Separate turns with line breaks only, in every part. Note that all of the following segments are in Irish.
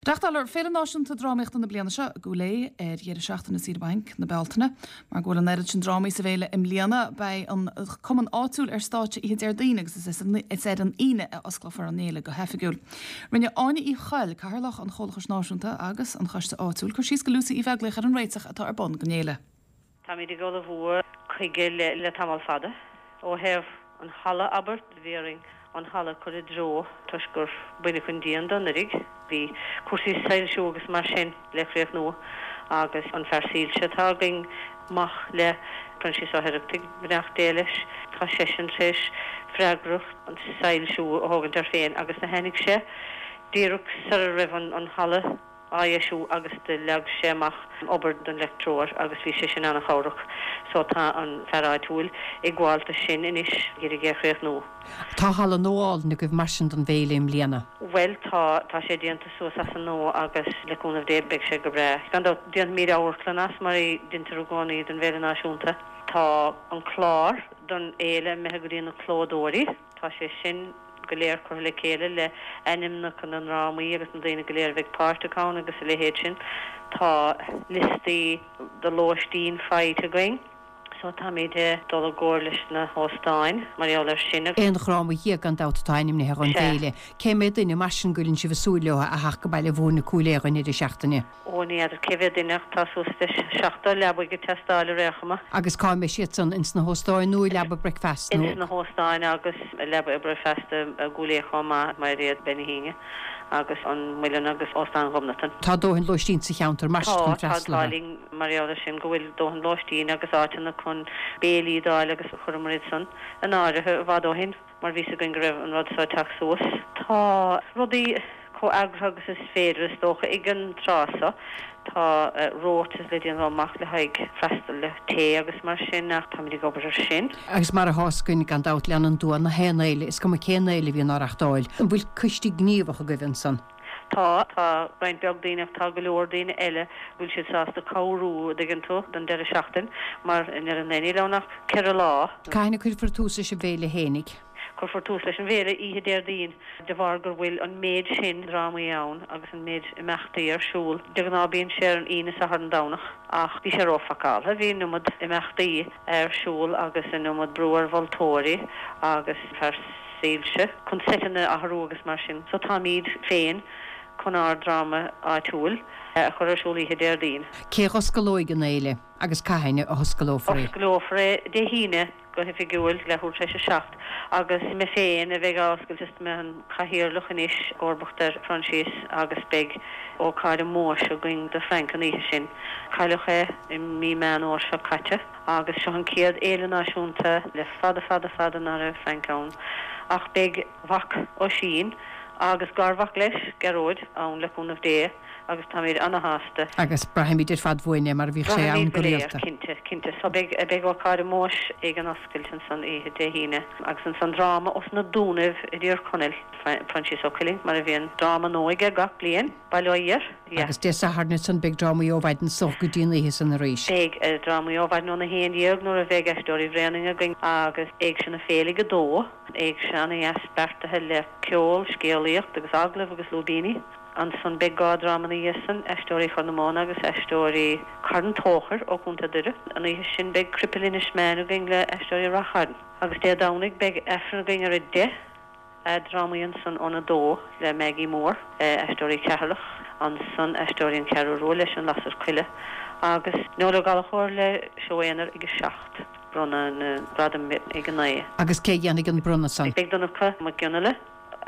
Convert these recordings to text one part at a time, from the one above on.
Reáchtálfar Féile Náisiúnta Drámaíochta na bliana seo i gCúil Aodha ar dheireadh seachtaine saoire bainc na Bealtaine. Mar go bhfuil an oiread sin drámaí sa bhféile i mbliana, beidh an cumann áitiúil ar stáitse oíche Déardaoin agus is ar an Aoine a osclófar an fhéile go hoifigiúil. Rinne Áine Uí Choill, Cathaoirleach an Chomhlachais Náisiúnta agus an Choiste Áitiúil, cur síos go Lucy Uí Bheaglaoich ar an réiteach atá ar bun don fhéile.
Táimid ag ullmhú chuige le tamall fada. Ó thaobh an halla, abair, bhí orainn an halla a chur i dtreo toisc gur baineadh an díon de anuraidh. Bhí cúrsaí soilsiú agus mar sin le críochnú agus an fear soilse atá againn, mac le Proinsias Ó hOireachtaigh, beannacht Dé leis, tá seisean tar éis freagracht an soilsiú a thógaint air féin agus do tháinig sé díreach sara raibh an halla á dheisiú agus do leag sé amach obair don leictreoir agus bhí sé sin ana-chabhrach. So tá an fear áitiúil i gcomhaltas sin anois ag iarraidh é a chríochnú.
Tá halla nua álainn agaibh mar sin don bhféile i mbliana.
Bhuel tá, tá sé déanta suas as an nua agus le cúnamh Dé beidh sé go breá. Gan dabht déanfaimíd amharclann as mar a deintear i gcónaí don bhFéile Náisiúnta. Tá an clár don fhéile imithe go dtí na clódóirí, tá sé sin. go léir curtha le chéile le ainmneacha na ndrámaí agus na daoine go léir a bheidh páirteach ann agus a leithéid sin. Tá liostaí de lóistín faighte againn so táimid ag dul i gcomhar leis na hóstáin mar gheall air sin.
Aon dhráma dhéag gan dabht atá ainmnithe dhon bhféile. Cé mhéad duine mar sin go bhfuileann sibh ag súil leo a theacht go Baile Mhúirne Cúil Aodha an deireadh seachtaine?
Ó, ní fheadar cé mhéad duine ach tá suas le 70 leabaidh ag teastáil ar aon chuma.
Agus cá mbeidh siad san? Ins na hóstáin nó i leaba bricfeasta
nó? Ins na hóstáin agus i leaba bricfeasta i gCúil Aodha chomh maith, Mairéad Bean Uí hAoine agus an Muileann agus Óstán Ghobnatan.
Tá dóthain lóistín sa cheantar mar sin chun
Tá, tá an
freastal
t-ádh
orthu.
linn mar gheall ar sin go bhfuil dóthain lóistín agus áiteanna chun béilí d'fháil agus chuireamar iad san in áirithe i bhfad ó shin. mar bhí 's againn go raibh an rud so ag teacht suas. Tá rudaí chomh eagraithe agus is féidir, is dócha, ag an tráth so. Tá rotas le déanamh amach le haghaidh freastal le tae agus mar sin ach táimid ag obair ar sin.
Agus mar atá 's againn, gan dabht, leanann dua na haon fhéile, is cuma cén fhéile a bhíonn á reachtáil. An bhfuil coiste gníomhach agaibh ansan?
Tá, tá roinnt beag daoine ach tá go leor daoine eile go bhfuil siad sásta cabhrú, a' dtuigeann tú, don deireadh seachtain mar i ndeireadh an lae níl ann ach ceithre lá.
Cathain a cuirfear tús leis an bhféile fhéinig?
Cuirfear tús leis an bhféile oíche Déardaoin de bharr gur bhfuil an méid sin drámaí ann agus an méid imeachtaí ar siúl. De ghnáth bíonn sé ar an Aoine, Satharn, Domhnach ach bhí sé róphacáltha, bhí an iomad imeachtaí ar siúl agus an iomad brú ar mholtóirí agus fear. soilse, chun seiteanna a athrú agus mar sin. So táimíd féin chun ár dráma áitiúil a chur ar siúl oíche Déardaoin.
Cé a dh'oscalóidh an fhéile agus cathain a hoscalófar
í? Osclófar é Dé hAoine go hoifigiúil, leathuair tar éis a 7, agus mé féin a bheidh á oscailt is mé an cathaoirleach anois, i gcomharbacht ar Phroinsias, agus beidh ócáid ómóis againn do Frank an oíche sin. Cailleadh é i mí Meán Fhómhair seo caite. Agus seo an chéad fhéile náisiúnta le fada fada fada ná raibh Frank ann. Ach beidh a mhac Oisín agus garmhac leis, Gearóid, ann le cúnamh Dé agus táimid ana-shásta.
Agus braithfimid ar fad uainn é mar a bhíodh sé ann
Braithfimid
go
go léir,
rialta.
cinnte, cinnte. So beidh, beidh ócáid ómóis ag an oscailt ansan oíche Dé hAoine agus ansan dráma os na Dúnaibh i dTír Chonaill, Proinsias Ó Cuilinn, mar a bhíonn dráma nua aige gach bliain. Bail ó Dhia air. Yeah.
Agus Dé Sathairn ansan beidh drámaí ó mhaidin is dócha go dtí an oíche san arís.
Beidh drámaí ó mhaidin óna 11 nuair a bheidh Aisteoirí Bhréanainn againn agus Éigse na Féile ag a dó. Éigse ana-dheas beartaithe le ceol, scéalaíocht agus agallaimh agus lúibíní. Ansan beidh dhá dráma ina dhiaidh san, Aisteoirí Chorr na Móna agus Aisteoirí Charn Tóchair ó Chontae Doire. An oíche sin beidh Cripil Inis Meáin againn le Aisteoirí Rath Chairn. Agus Dé Domhnaigh beidh Aifreann againn ar a deich. Drámaí ansan óna dó le Maggie Moore, Aisteoirí Cheatharlach, ansan Aisteoirí an Cheathrú Rua leis An Lasair Choille agus Noel Ó Gallchóir le seó aonair ag a 7. Bronnadh na gradaim ag a 9.
Agus cé a dhéanfaidh an bronnadh san?
Beidh Donncha Mac Fhionnghaile,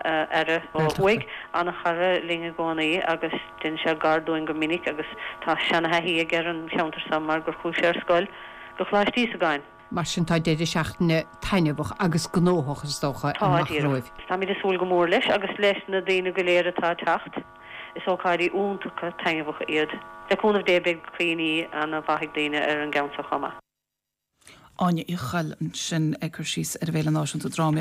Aire ó thuaidh, an-chara linn i gcónaí agus déanann sé gar dúinn go minic agus tá seana-thaithí aige ar an cheantar so mar gur chuaigh sé ar scoil go Coláiste Íosagáin.
Mar sin tá deireadh seachtaine taitneamhach agus gnóthach, is dócha,
Tá,
amach
díreach.
romhaibh.
Táimid ag súil go mór leis agus leis na daoine go léir atá ag teacht. Is ócáidí iontacha taitneamhacha iad. Le cúnamh Dé beidh cuimhní ana-mhaith ag daoine ar an gceann seo chomh maith.
Áine Uí Choill ansin ag cur síos ar an bhFéile Náisiúnta Drámaíochta.